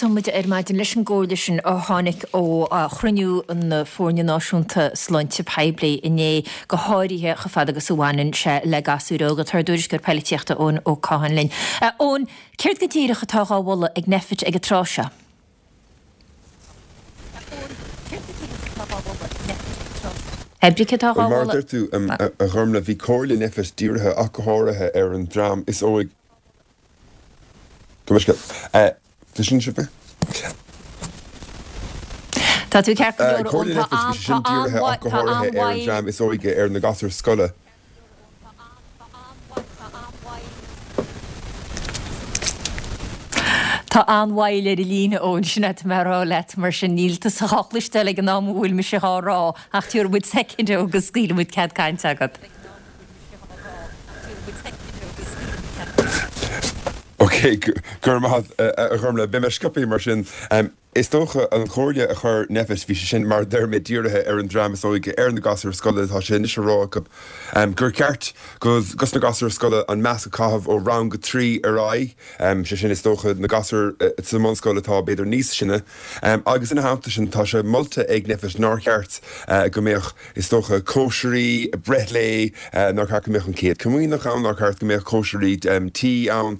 tosóidh muid ar maidin leis an gcomhairle sin a tháinig ó chruinniú na Foirne Náisiúnta Sláinte Poiblí inné, go háirithe chomh fada agus a bhaineann sé le gasúir óga. Tá ár dtuairisceoir poilitíochta Eoin Ó Catháin linn. Eoin, céard go díreach atá dhá mholadh ag Nphet ag an tráth seo? Oibricthe atá dhá Bhuel, mar a mholadh. deir tú, a Ghormlaith, bhí comhairle Nphet dírithe ach go háirithe ar an dream is óige. Go mbeidh scéal. Cloiseann sibh mé? Tá tú ceart go leor, a Comhairle Eoin. Tá Nphet, bhí sé sin dírithe ach go háirithe ar an dream is óige, ar na gasúir scoile. Tá an-mhoill ar an líne, Eoin, sin é atá mé a rá leat, mar sin níl tusa dhá chloisteáil ag an am a bhfuil mise dhá rá, ach tabharfaidh muid soicind agus scaoilfidh muid cead cainte agat. Ok, go raibh maith agat, a Ghormlaith. Beidh mé sciobtha mar sin. Is dócha, an chomhairle a chuir Nphet, bhí sé sin, mar a deir mé, dírithe ar an dream is óige, ar na gasúir scoile. Tá sé anois á rá acu gur ceart dos na gasúir scoile an masc a chaitheamh ó rang a 3 ar aghaidh, sé sin, is dócha, na gasúir sa mbunscoil atá b'fhéidir níos sine. Agus ina theannta sin, tá sé molta ag Nphet nár cheart go mbeadh, is dócha, cóisirí breithlae, nár cheart go mbeadh an Chéad Chomaoineach ann, nár cheart go mbeadh cóisirí tí ann.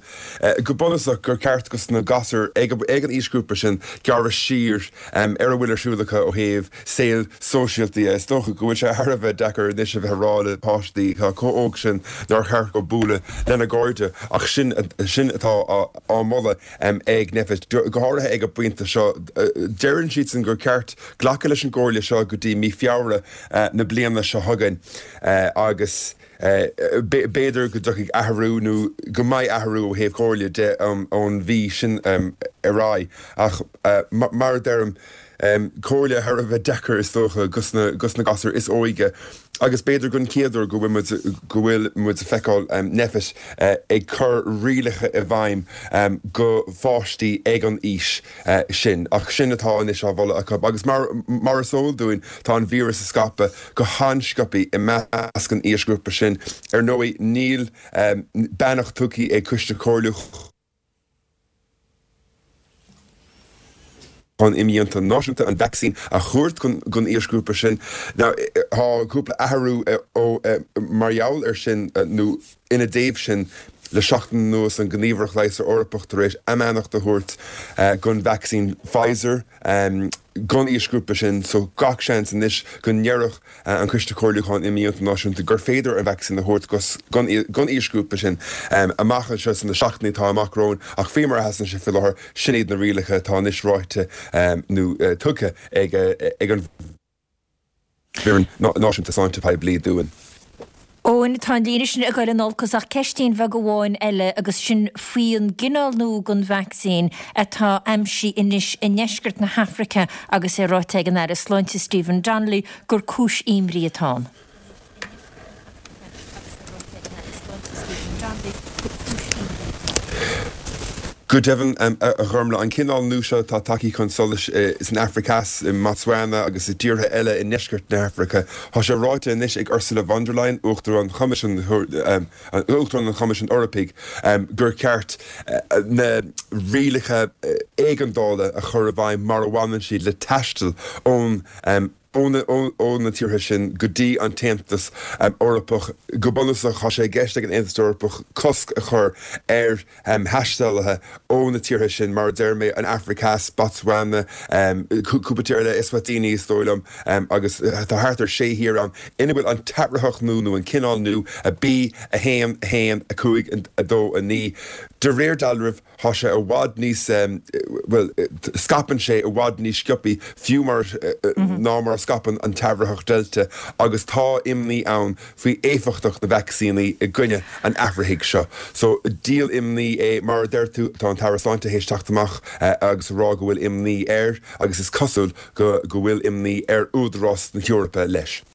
Go bunúsach, gur ceart dos na gasúir ag an aoisghrúpa sin gearradh siar ar a bhfuil ar siúl acu ó thaobh saol sóisialta de. Is dócha go bhfuil sé thar a bheith deacair anois a bheith ag rá le páistí atá chomh óg sin nár cheart dóibh bualadh lena gcairde ach sin sin atá á moladh ag Nphet, go háirithe ag an bpointe seo. Deireann siadsan gur ceart glacadh leis an gcomhairle seo go dtí mí Feabhra na bliana seo chugainn agus B'fhéidir go dtiocfaidh athrú nó go mbeidh athrú ó thaobh comhairle de ón mhí sin ar aghaidh ach mar a deirim, comhairle thar a bheith deacair is dócha dos na gasúir is óige agus b'fhéidir don chéad uair go bhfuil muid go bhfuil muid ag feiceáil Nphet ag cur rialacha i bhfeidhm go pháistí ag an aois. sin. Ach sin atá anois á mholadh acu. Agus mar mar is eol dúinn, tá an víreas ag scaipeadh go han-sciobtha i measc an aoisghrúpa sin. Ar ndóigh, níl beannacht tugtha ag Coiste Comhairliúcháin Imdhíonta Náisiúnta an vacsaín a thabhairt don aoisghrúpa sin. Now, tá cúpla athrú ó mar gheall air sin nó. Ina dtaobh sin, le seachtain anuas, an Ghníomhaireacht Leigheasra Eorpach tar éis a mbeannacht a thabhairt don vacsaín Pfizer don aoisghrúpa sin, so gach seans anois go ndéarfadh an Coiste Comhairliúcháin Imdhíonta Náisiúnta gur féidir an vacsaín a thabhairt don aoisghrúpa sin amach anseo sna seachtainí atá amach romhainn. Ach faoi mar a sheasann sé faoi láthair, sin iad na rialacha atá anois ráite nó tugtha ag an. bhFoireann Náisiúnta Sláinte Poiblí dúinn. Eoin, tá an líne sin ag goil in olcas ach ceistín bheag amháin eile agus sin faoi an gcineál nua den vacsaín atá aimsithe anois i ndeisceart na hAfraice agus é ráite ag an Aire Sláinte Stephen Donnelly gur cúis imní atá ann. Go deimhin, a Ghormlaith, an cineál nua seo atá tagtha chun solais san Afraic Theas, i mBotswana agus i dtíortha eile i ndeisceart na hAfraice, tá sé ráite anois ag Ursula von der Leyen, Uachtarán Choimisiún Uachtarán an Choimisiúin Eorpaigh, gur cheart na rialacha éigeandála a chur i bhfeidhm mar a bhaineann siad le taisteal ón ó na tíortha sin go dtí an tAontas Eorpach. Go bunúsach, tá sé i gceist ag an Aontas Eorpach cosc a chur ar thaistealaithe ó na tíortha sin, mar a deir mé, an Afraic Theas, Botswana, cúpla tír eile, Eswatini is dóigh liom, agus tá thart ar sé thír ann ina bhfuil an t-athraitheach nua nó an cineál nua, B1 1 5 2 9. De réir dealraimh, Tá sé i bhfad níos, bhuel, scaipeann sé i bhfad níos sciobthaí fiú mar, ná mar a scaipeann an t-athraitheach Delta agus tá imní ann faoi éifeachtacht na vacsaíní i gcoinne an athraithigh seo. So, díol imní é. Mar a deir tú, tá an tAire Sláinte théis teacht amach agus a rá go bhfuil imní air agus is cosúil go go bhfuil imní ar Údarás na hEorpa leis.